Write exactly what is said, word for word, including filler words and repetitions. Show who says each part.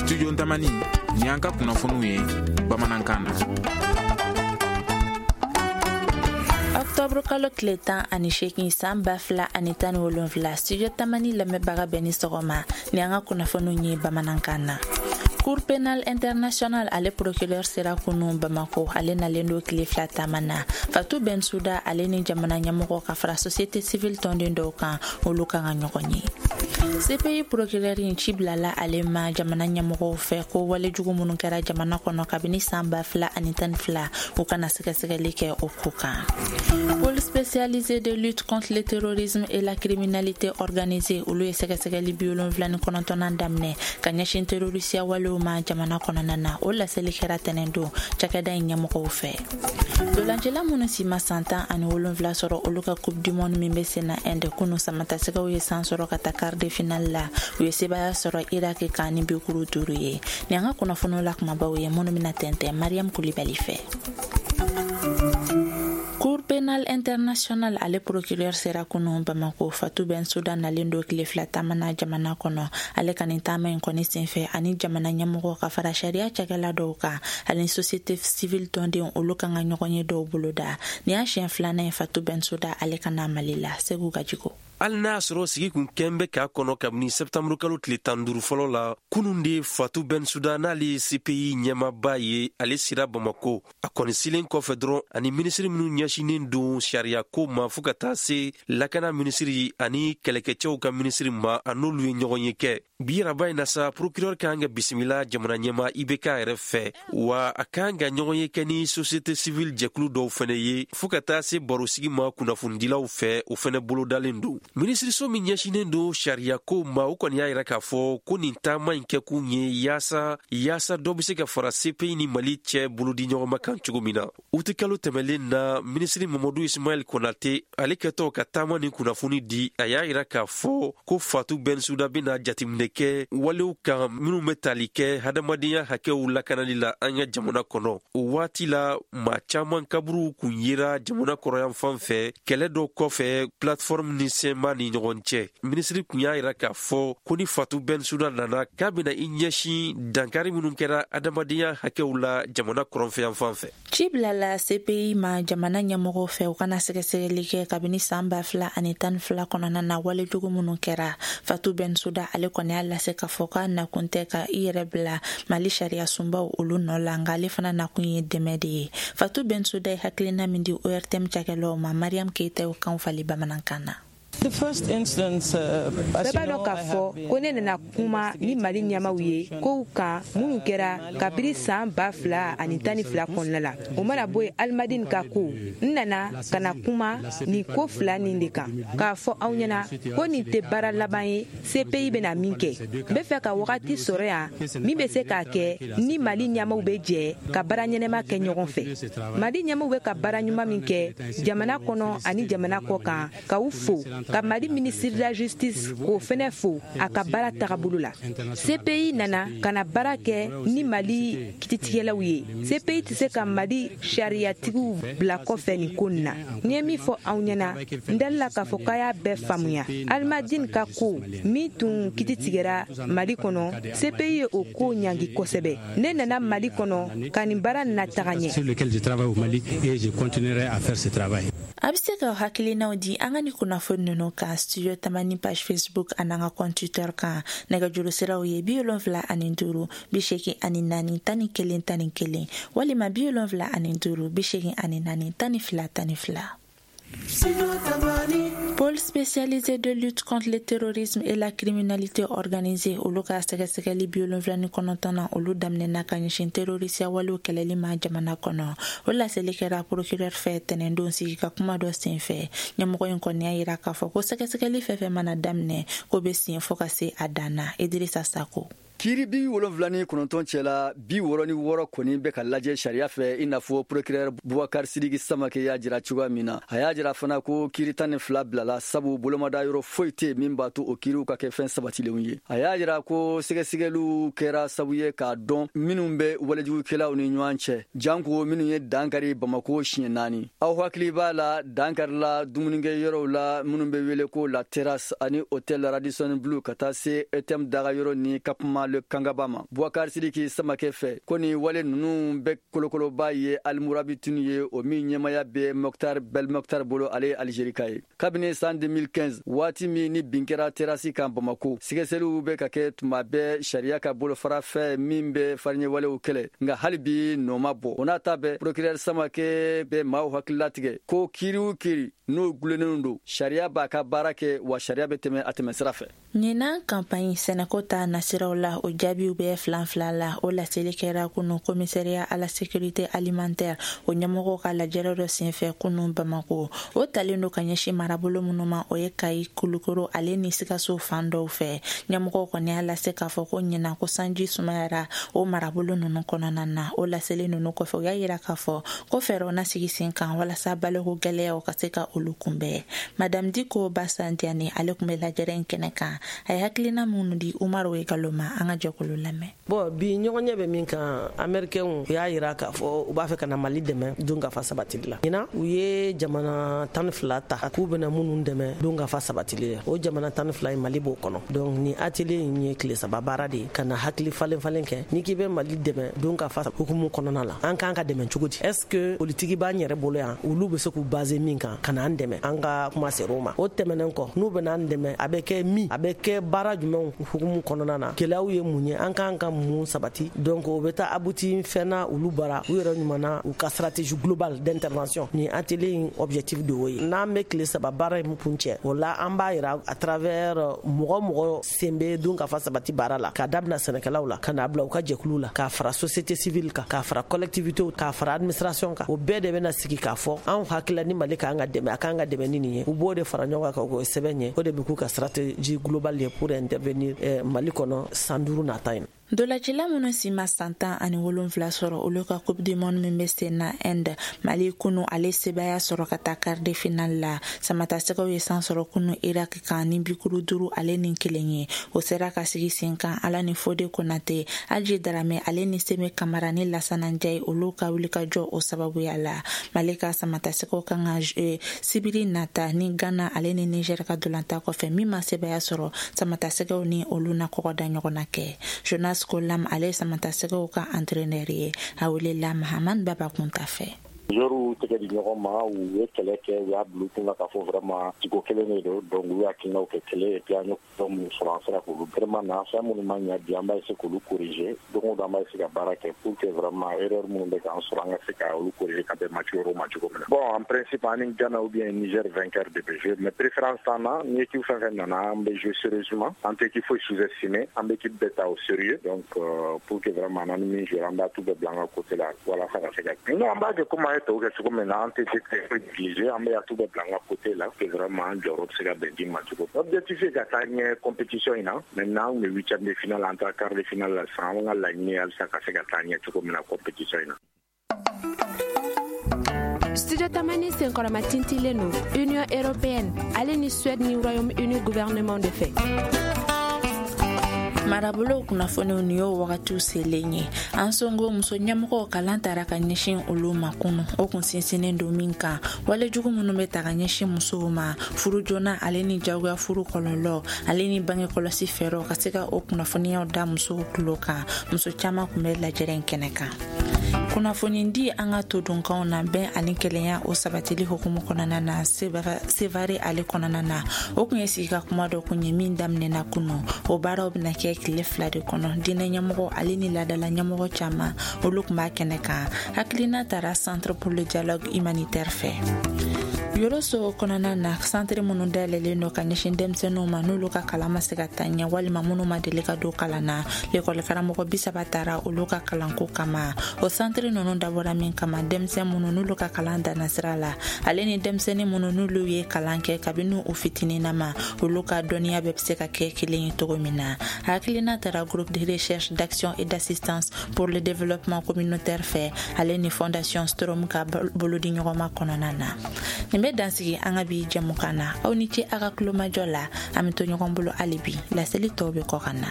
Speaker 1: Studio Tamani, ni an ka kunnafoniw ye bamanankan na.
Speaker 2: Octobre kalo tile tan ani seegin san ba fila ani tan ni wolonfila, Studio Tamani lamɛnbaga bɛɛ ni sɔgɔma, ni an ka kunnafoniw ye bamanankan na. Cour pénale internationale ale procureur sera kunu Bamako, ale nalen do tile fila taama na. Fatou Bensouda ale ni jamana ɲɛmɔgɔ ka fara société civile tɔnden dɔw kan, olu kan ka ɲɔgɔn ye. C P I procureur in ci bilala ale ma jamana ɲɛmɔgɔw fɛ ko walejugu minnu kɛra jamana kɔnɔ kabini san ba fila ani tan ni fila, u kana sɛgɛsɛgɛli kɛ o ko kan. Pôle spécialisé de lutte contre le terrorisme et la criminalité organisée, olu ye sɛgɛsɛgɛli bi wolonfila ni kɔnɔntɔnnan daminɛ ka ɲɛsin terrorisiya walew ma jamana kɔnɔna na. O laseli kɛra tɛnɛn don cakɛda in ɲɛmɔgɔw fɛ. Dolancila minnu si ma san tan ani wolonfila sɔrɔ, olu ka Coupe du monde min bɛ sen na Inde, kunu samatasɛgɛw ye san sɔrɔ ka taa quart de finale la. U ye sebaya sɔrɔ Irak kan ni bikuru duuru ye. Ni an ka kunnafoniw la kumabaw ye minnu bɛna tɛntɛn Mariam Kulibali fɛ. Cour pénale internationale ale procureur sera kunu Bamako. Fatou Bensouda nalen do tile fila taama na jamana kɔnɔ. Ale ka nin taama in kɔni senfɛ, ani jamana ɲɛmɔgɔ ka fara sariya cakɛla dɔw kan ani société civile tɔndenw, olu kan ka ɲɔgɔn ye dɔw boloda. Nin y'a siɲɛ filanan ye Fatou Bensouda ale ka na Mali la. Segu Gajigo.
Speaker 3: Hali n'a y'a sɔrɔ sigi kun kɛn bɛ k'a kɔnɔ kabini sɛptanburu kalo tile tan duuru fɔlɔ la, kunun de Fatou Bensouda, n'ale ye C P I ɲɛmaba ye, ale sera Bamako. A kɔni silen kɔfɛ dɔrɔn, ani minisiri minnu ɲɛsinen don sariyako ma, fɔɔ ka taa se lakana minisiri ani kɛlɛkɛcɛw ka minisiri ma, a n'olu ye ɲɔgɔn ye kɛ. Bi araba in na sa, procureur kan ka bisimila jamana ɲɛma I B K yɛrɛ fɛ, wa a kan ka ɲɔgɔn ye kɛ ni société civile jɛkulu dɔw fɛnɛ ye, fɔɔ ka taa se barosigi ma kunnafonidilaw fɛ, o fɛnɛ bolodalen don. Minisiriso min ɲɛsinen don sariyako ma, o kɔni y'a yira k'a fɔ ko nin taama in kɛkun ye yaasa yaasa dɔ be se ka fara C P I ni Mali cɛ bolodi ɲɔgɔnma kan cogo min na. Uti kalo tɛmɛlen na, minisiri Mamadu Ismaɛl Konate, ale kɛtɔ ka taama ni kunnafoni di, a y'a yira k'a fɔ ko Fatou Bensouda bena jateminɛ kɛ walew kan minw bɛ tali kɛ hadamadenya hakɛw lakanali la an ka jamana kɔnɔ. O waati la, maa caaman kaburuw kun yera jamana kɔrɔyan fan fɛ kɛlɛ dɔ kɔfɛ plateforme ni C M A ni ɲɔgɔn cɛ. Minisiri kun y'a yira k'a fɔ ko ni Fatou Bensouda nana, k'a bena i ɲɛsin dankari minw kɛra adamadenya hakɛw la jamana kɔrɔnfɛyan fan fɛ.
Speaker 2: Ci bilala C P I ma jamana ɲɛmɔgɔw fɛ, u kana sɛgɛsɛgɛli kɛ kabini san ba fila ani tan ni fila kɔnɔna na walejugu minnu kɛra. Fatou Bensouda ale kɔni y'a lase k'a fɔ k'a nakun tɛ ka i yɛrɛ bila Mali sariya sunbaw olu nɔ la, nka ale fana nakun ye dɛmɛ de ye. Fatou Bensouda ye hakilina min di O R T M cakɛlaw ma, Mariam Keita y'o kan fali bamanankan na.
Speaker 4: Bɛɛ b'a dɔn k'a fɔ ko ne nana kuma ni Mali ɲɛmaw ye kow kan minnu kɛra kabiri saan ba fila ani tan ni fila kɔnɔna la. O mana bɔ yen, Alimadini ka ko, n nana ka na kuma nin ko fila nin de kan, k'a fɔ aw ɲɛna ko nin tɛ baara laban ye C P I bɛna min kɛ. N bɛ fɛ ka wagati sɔrɔ yan min bɛ se k'a kɛ ni Mali ɲɛmaw bɛ jɛ ka baara ɲɛnɛma kɛ ɲɔgɔn fɛ. Mali ɲɛmaw bɛ ka baara ɲuman min kɛ jamana kɔnɔ ani jamana kɔ kan, ka u fo, ka Mali ministre de la Justice k'o fɛnɛ fo a ka baara tagabolo la. C P I nana ka na baara kɛ ni Mali kititigɛlaw ye. C P I tɛ se ka Mali sariyatigiw bila kɔfɛ nin ko nin na. N ye min fɔ aw ɲɛna, n dalila k'a fɔ k'a y'a bɛɛ faamuya. Alimadini ka ko min tun kiti tigɛra Mali kɔnɔ, C P I ye o ko ɲangi kosɛbɛ. Ne nana Mali kɔnɔ ka nin baara na taga ɲɛ.
Speaker 2: A bɛ se ka hakilinaw di an ka ni kunnafoni ninnu kan Studio Tamani page Facebook an'an ka compte Twitter kan. Nɛgɛjuru siraw ye bi wolonfila ani duuru bi seegin ani naani tan ni kelen tan ni kelen walima bi wolonfila ani duuru bi seegin ani naani tan ni fila tan ni fila. Pôle spécialisé de lutte contre le terrorisme et la criminalité organisée, olu ka sɛgɛsɛgɛli bi wolonfila ni kɔnɔntɔnna, olu daminɛna ka ɲɛsin terrorisiya walew kɛlɛli ma jamana kɔnɔ. O laseli kɛra procureur fɛ tɛnɛndon sigi ka kuma dɔ senfɛ. Ɲɛmɔgɔ in kɔni y'a yira k'a fɔ ko sɛgɛsɛgɛli fɛn fɛn mana daminɛ, ko bɛ sen fɔ ka se a dan na. Idrissa Sako.
Speaker 5: Kiiri bi wolonfila ni kɔnɔntɔn cɛla, bi wɔrɔ ni wɔɔrɔ kɔni bɛ ka lajɛ sariya fɛ, i n'a fɔ procureur Bubakari Sidiki Samake y'a jira cogoya min na. A y'a jira fana ko kiiri tan ni fila bilala, sabu bolomada yɔrɔ foyi tɛ min b'a to o kiiriw ka kɛ fɛn sabatilenw ye. A y'a jira ko sɛgɛsɛgɛliw kɛra sabu ye k'a dɔn minnu bɛ walejugukɛlaw ni ɲɔgɔn cɛ, janko minnu ye dankari Bamako siɲɛ naani. Aw hakili b'a la, dankarila dumunikɛ yɔrɔw la minnu bɛ wele ko La Terrasse ani Hôtel Radisson Blu, ka taa se E T M daga yɔrɔ ni campement. ma le Kangaba ma. Boubacar Sidiki Samakɛ fɛ, ko ni wale ninnu bɛ kolokoloba ye Almurabitun ye, o min ɲɛmaya bɛ Mokhtar Belmokhtar bolo, ale ye Algérie ka ye. Kabini san deux mille quinze, waati min ni bin kɛra terasi kan Bamako, sɛgɛsɛgɛliw bɛ ka kɛ tuma bɛɛ sariya ka bolofara fɛ min bɛ fariɲɛwalew kɛlɛ, nka hali bi nɔ ma bɔ. O n'a ta bɛɛ, procureur Samakɛ bɛ maaw hakililatigɛ ko kiiri o kiiri n'o gulennen don, sariya b'a ka baara kɛ, wa sariya bɛ tɛmɛ a tɛmɛ sira fɛ.
Speaker 2: Ɲinan kanpaɲi sɛnɛko ta nasiraw la, o jaabiw bɛ filan fila la. O laseli kɛra kunu commissariat à la sécurité alimentaire o ɲɛmɔgɔw ka lajɛrɛ dɔ senfɛ kunu Bamako. O talen do ka ɲɛsin marabolo minnu ma, o ye Kayi, Kulukoro ale ni Sikaso fan dɔw fɛ. Ɲɛmɔgɔw kɔni y'a lase k'a fɔ ko ɲinan ko sanji sumayara o marabolo ninnu kɔnɔna na. O laseli ninnu kɔfɛ, u y'a yira k'a fɔ ko fɛɛrɛw na sigi sen kan walasa baloko gwɛlɛyaw ka se ka olu kunbɛn. Madame Diko Basandiani, ale tun bɛ lajɛrɛ in kɛnɛ kan, a ye hakilina minnu di Umaru Egalo ma, an ka jɛkulu lamɛn.
Speaker 6: Bon, bi ɲɔgɔn ɲɛ bɛ min kan, Américains u y'a yira k'a fɔ u b'a fɛ ka na Mali dɛmɛ dunkafa sabatili la. Ɲinan, u ye jamana tan ni fila ta k'u bɛna minnu dɛmɛ dunkafa sabatili la. O jamana tan ni fila in, Mali b'o kɔnɔ. Donc ni atelier in ye tile saba baara de ye ka na hakili falen falen kɛ. N'i k'i bɛ Mali dɛmɛ dunkafa hukumu kɔnɔna la, an k'an ka dɛmɛ cogo di? Est ce que politiki b'an yɛrɛ bolo yan, olu bɛ se k'u baser min kan ka na an dɛmɛ? An ka kuma ser'o ma. O tɛmɛnen kɔ, n'u bɛna an dɛmɛ, a bɛ kɛ min, a bɛ kɛ baara jumɛnw hukumu kɔnɔna na? Gɛlɛyaw ye mun ye? An k'an ka mun sabati? Donc o bɛ taa abouti fɛn na olu bara u yɛrɛ ɲuman na, u ka stratégie globale d'intervention. Ni atelier in objectif de y'o ye. N'an bɛ tile saba baara in kun cɛ, o la an b'a yira à travers mɔgɔ mɔgɔ sen bɛ dunkafa sabati baara la, k'a dabila sɛnɛkɛlaw la, ka n'a bila u ka jɛkulu la, k'a fara société civile kan, k'a fara collectivité, k'a fara administration kan, o bɛɛ de bɛna sigi k'a fɔ anw hakilila ni Mali k'an ka dɛmɛ, a k'an ka dɛmɛ ni nin ye. U b'o de fara ɲɔgɔn kan k'o sɛbɛn ye. O de bɛ k'u ka stratégie globale ye pour intervenir eh, Mali kɔnɔ san duuru nata in.
Speaker 2: Dolacila minnu si ma san tan ani wolonfila sɔrɔ, olu ka Coupe du monde min bɛ sen na Inde, Mali kunu ale sebaya sɔrɔ ka taa quart de finale la. Samatasɛgɛw ye san sɔrɔ kunu Irak kan ni bikuru duuru ale ni kelen ye. O sera ka sigi sen kan Ala ni Fode Konate, Aji Darame ale ni Seme Kamara ni Lasana Njayi, olu ka wulikajɔ o sababuya la. Mali ka samatasɛgɛw kan ka eh, sibiri nata ni Ghana ale ni Niger ka dolanta kɔfɛ, min ma sebaya sɔrɔ, samatasɛgɛw ni olu na kɔgɔ da ɲɔgɔn na kɛ. Jonas Kolam, ale ye samatasɛgɛw ka entraîneur ye, a welela Mahamani Baba Kunta fɛ.
Speaker 7: Joueurs tɛgɛ di ɲɔgɔn ma, u ye kɛlɛ kɛ, u y'a bila u kunna k'a fɔ vraiment tigo kelen de don. Donc u y'u hakilinaw kɛ kelen et puis an ye fɛn minnu sɔrɔ, an sera k'olu vraiment na fɛn minnu ma ɲɛ bi, an b'a essayer k'olu corriger. Don o don an b'a essayer ka baara kɛ pour que vraiment erreur minnu bɛ k'an sɔrɔ, an ka se ka olu corriger ka bɛn match wɛrɛw ma cogo min na. Bon, en principe, an ni Ghana ou bien Niger vainqueur de bɛ jouer, mais préférence t'an na. Ni équipe fɛn fɛn nana, an bɛ jouer sérieusement, an tɛ équipe foyi sous-estimer, an bɛ équipe bɛɛ ta au sérieux. Donc euh, pour que vraiment an ni min jouer, an b'a tout bɛɛ bila an ka côté la walasa ka se ka, non, an b'a kɛ comme an ye tɔw kɛ cogo min na. An tɛ négliger, an bɛ tout bɛɛ bila an ka côté la que vraiment an jɔyɔrɔ bɛ se ka bɛn di ma cogo. Objectif ye ka taa ɲɛ compétition in na. Maintenant, an kun bɛ huitième de finale, an taara quart de finale la sisan. An ka laɲini ye halisa ka se ka taa ɲɛ cogo min na compétition in na.
Speaker 4: Studio Tamani senkɔrɔma tintilen don Union européenne ale ni Suède ni Royaume-Uni gouvernement de fɛ.
Speaker 2: Marabolow kunnafoniw, nin y'o wagatiw selen ye. An songo muso ɲɛmɔgɔw kalan tara ka ɲɛsin olu ma kunu. O kun sinsinnen don min kan, walejugu minnu bɛ ta ka ɲɛsin musow ma, furu joona ale ni jagoya furu kɔlɔlɔ ale ni bange kɔlɔsi fɛɛrɛw, ka se ka o kunnafoniyaw da musow tulo kan. Muso caaman kun bɛ lajɛrɛ in kɛnɛ kan. Kunnafoni di an ka todunkanw na, bɛn ani kelenya o sabatili hukumu kɔnɔna na, Sevare ale kɔnɔna na, o kun ye sigi ka kuma dɔ kun ye min daminɛna kunu. O baaraw bɛna kɛ tile fila de kɔnɔ. Diinɛ ɲɛmɔgɔ ale ni ladala ɲɛmɔgɔ caman, olu kun b'a kɛnɛ kan. Hakilina tara Centre pour le dialogue humanitaire fɛ Yoroso kɔnɔna na. Santiri minnu dayɛlɛlen don ka ɲɛsin denmisɛnninw ma n'olu ka kalan ma se ka taa ɲɛ walima minnu ma deli ka don kalan na, lekɔlikaramɔgɔ bi saba taara olu ka kalanko kama. O santiri ninnu dabɔra min kama, denmisɛn minnu n'olu ka kalan danna sira la ale ni denmisɛnnin minnu n'olu ye kalan kɛ kabini u fitininna ma, olu ka dɔnniya bɛɛ bɛ se ka kɛ kelen ye cogo min na. Hakilina tara Groupe de recherche, d'action et d'assistance pour le développement communautaire fɛ ale ni Fondation Strom ka bolodi ɲɔgɔnma kɔnɔna na. Nin bɛ dansigi an ka bi jɛmukan na. Aw ni ce a ka kulomajɔ la. An bɛ to ɲɔgɔn bolo hali bi, laseli tɔw bɛ kɔ ka na.